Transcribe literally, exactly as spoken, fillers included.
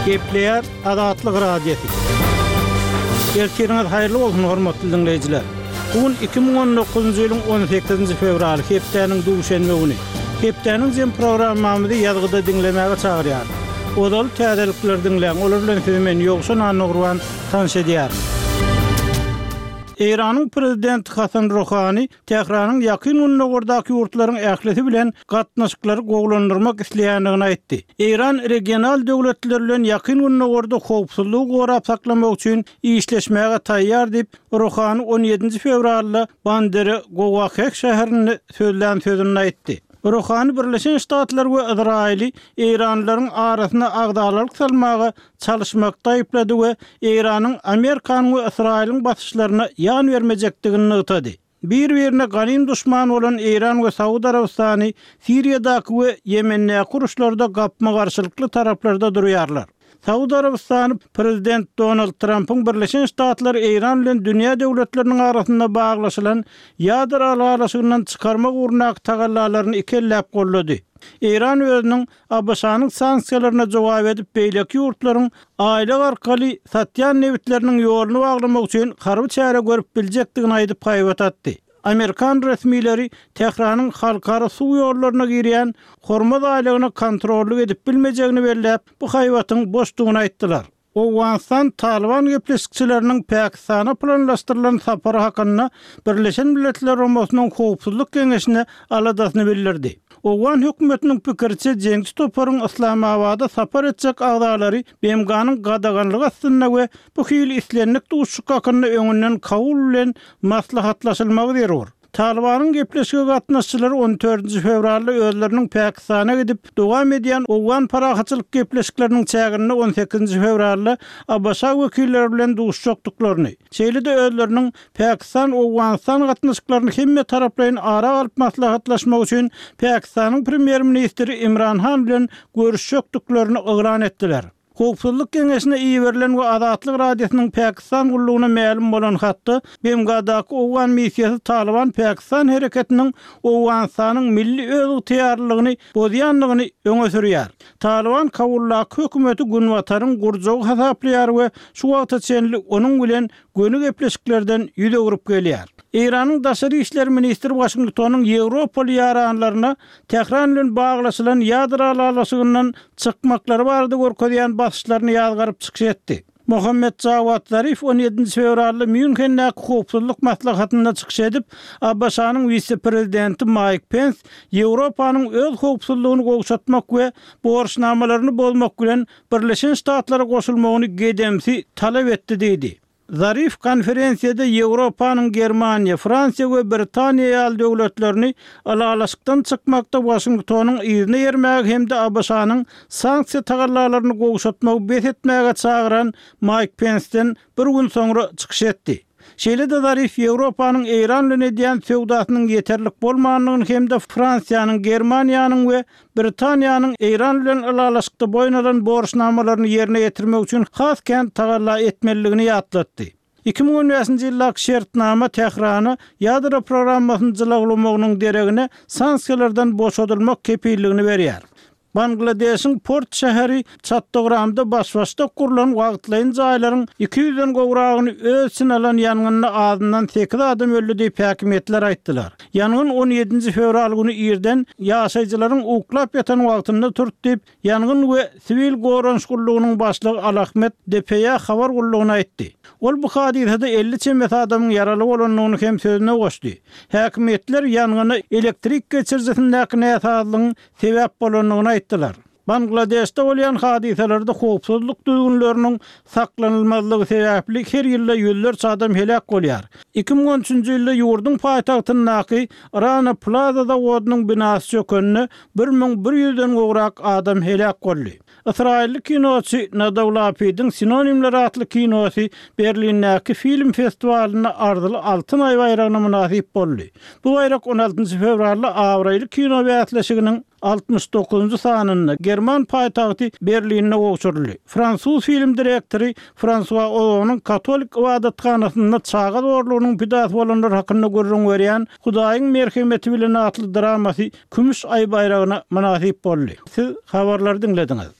Gepleýär Azatlyk Radiosy. Ertiriňiz haýyrly bolsun, hormatly diňleýjiler. Bu gün iki müň on dokuzynjy ýylyň on sekizinji fewraly, hepdäniň duşenbe güni. Hepdäniň jem programmamyzy ýazgyda diňlemäge çagyrýarys. Ozaly täzelikleri diňläň, olar bilen sizi men Ýowşan Annagurban tanyş edýärin. Eýranyň prezidenti Hasan Ruhani Tähranyň Ýakyn Gündogardaky ýurtlaryň ählisi bilen gatnaşyklary gowulandyrmak isleýändigini aýtdy. Eýran regional döwletler bilen Ýakyn Gündogarda howpsuzlygy gorap saklamak üçin işleşmäge taýýar diýip, Ruhani on ýedinji fewralda Bandere Gowaheh şäherinde sözlän sözünde aýtdy. Ruhani Birleşen Ştatlar we Yzraýyly eýranlylaryň arasyna agzalalyk salmaga çalyşmakda aýyplady we Eýranyň Amerikanyň we Ysraýylyň basyşlaryna ýan bermejekdigini nygtady. Bir-birine ganym duşman bolan Eýran we Saud Arabystany Siriýadaky we Ýemendäki uruşlarda gapma-garşylykly taraplarda durýarlar. Saud Arabystany prezident Donald Trampyň Birleşen Ştatlary Eýran bilen dünýä döwletleriniň arasynda baglaşylan ýadro ylalaşygyndan çykarmak ugrundaky tagallalaryny iki elläp goldady. Eýran özüniň A B Ş-nyň sanksiýalaryna jogap edip beýleki ýurtlaryň aýlyk arkaly satýan nebitleriniň ýoluny baglamak üçin harby çäre görüp biljekdigini aýdyp haýbat atdy. Amerikan resmileri Tähranyň halkara suw ýollaryna girýän Hormuz aýlagyna kontrollyk edip bilmejegini belläp, bu haýbatyň boşdugyny aýtdylar. Owganystan Talyban gepleşikçileriniň Pakistana planlaşdyrylan sapary hakynda Birleşen Milletler Guramasynyň Howpsuzlyk Geňeşine aladasyny bildirdi. Owgan hökümetiniň pikiriçe, jeňçi toparyň Yslamabada sapar etjek agzalary B M G-nyň gadaganlygy astynda we bu hili islendik duşuşyk hakynda öňünden Kabul bilen maslahatlaşylmagy zerur. Talybanyň gepleşige gatnaşyjylary on dördünji fewralda özleriniň Pakistana gidip, dowam edýän owgan parahatçylyk gepleşikleriniň çäginde on sekizinji fewralda A B Ş wekilleri bilen duşuşjakdyklaryny, şeýle-de özleriniň Pakistan-Owganystan gatnaşyklaryny hemme taraplaýyn ara alyp maslahatlaşmak üçin Pakistanyň premýer-ministri Imran Han bilen görüşjekdiklerini yglan etdiler. Howpsuzlyk Geňeşine iberilen we Azatlyk Radiosynyň Pakistan gullugyna mälim bolan hatda B M G-daky owgan missiýasy Talyban Pakistan hereketiniň Owganystanyň milli özygtyýarlylygyny bozýandygyny öňe sürýär. Talyban Kabuldaky hökümeti Günbataryň gurjagy hasaplaýar we şu wagta çenli onuň bilen göni gepleşiklerden ýüz öwrüp gelýär. Eýranyň daşary işler ministri Waşingtonyň Ýewropaly ýaranlaryna Tähran bilen baglaşylan ýadro ylalaşygyndan çykmaklary barada görkezýän basyşlaryny ýazgaryp çykyş etdi. Muhammed Jawad Zarif on ýedinji fewralda Mýunhendäki howpsuzlyk maslahatynda çykyş edip, A B Ş-nyň wise-prezidenti Maýk Pens Ýewropanyň öz howpsuzlygyny gowşatmak we borçnamalaryny bozmak bilen Birleşen Ştatlara goşulmagyny gedemsi talap etdi diýdi. Zarif konferensiýada Ýewropanyň Germaniýa, Fransiýa we Britaniýa ýaly döwletlerini ylalaşykdan çykmakda Waşingtonyň yzyna ýermäge hem-de A B Ş-nyň sanksiýa tagallalaryny gowşatmagy bes etmäge çagyran Maýk Pensden bir gün soňra çykyş etdi. Şeýle-de Zarif Ýewropanyň Eýran bilen edýän söwdasynyň ýeterlik bolmandygyny hem-de Fransiýanyň, Germaniýanyň we Britaniýanyň Eýran bilen ylalaşykda boýun alan borçnamalaryny ýerine ýetirmek üçin has kän tagalla etmelidigini ýatlatdy. iki müň on bäşinji ýyldaky şertnama Tährana ýadro programmasyny jylawlamagynyň deregine sanksiýalardan boşadylmak kepilligini berýär. Bangladeşiň port şäheri Çattogramda baş-başdak gurlan wagtlaýyn jaýlaryň iki ýüzden gowragyny öz içine alan ýangynda azyndan sekiz adam öldi diýip häkimiýetler aýtdylar. Ýangyn on ýedinji fewral güni irden ýaşaýjylaryň uklap ýatan wagtynda turdy diýip, ýangyn we siwil goranyş gullugynyň başlygy Alahmet D P A habar gullugyna aýtdy. Ol bu hadysada elli çemesi adamyň ýaraly bolandygyny hem sözüne goşdy. Häkimiýetler ýangyna elektrik geçirijisindäki näsazlygyň sebäp bolandygyny aýtdylar. Bangladeşde bolýan hadysalarda howpsuzlyk düzgünleriniň saklanylmazlygy sebäpli her ýylda ýüzlerçe adam heläk bolýar. iki müň on üçünji ýylda ýurduň paýtagtyndaky Rana Plaza zawodynyň binasy çökende bir müň bir ýüzden gowrak adam heläk boldy. Ysraýylly kinoçy Nadav Lapidiň Sinonimler atly kinosy Berlindäki film festiwalynda arzyly altyn aý baýragyna mynasyp boldy. Bu baýrak on altynjy fewralda abraýly kino bäsleşiginiň altmyş dokuzynjy sanynda German paýtagty Berlinde gowşuryldy. Fransuz film direktory Fransua Ozonyň katolik ybadathanasynda çaga zorlugynyň pidasy bolanlar hakynda gürrüň berýän Hudaýyň merhemeti bilen atly dramasy kümüş aý baýragyna mynasyp boldy. Siz habarlary diňlediňiz.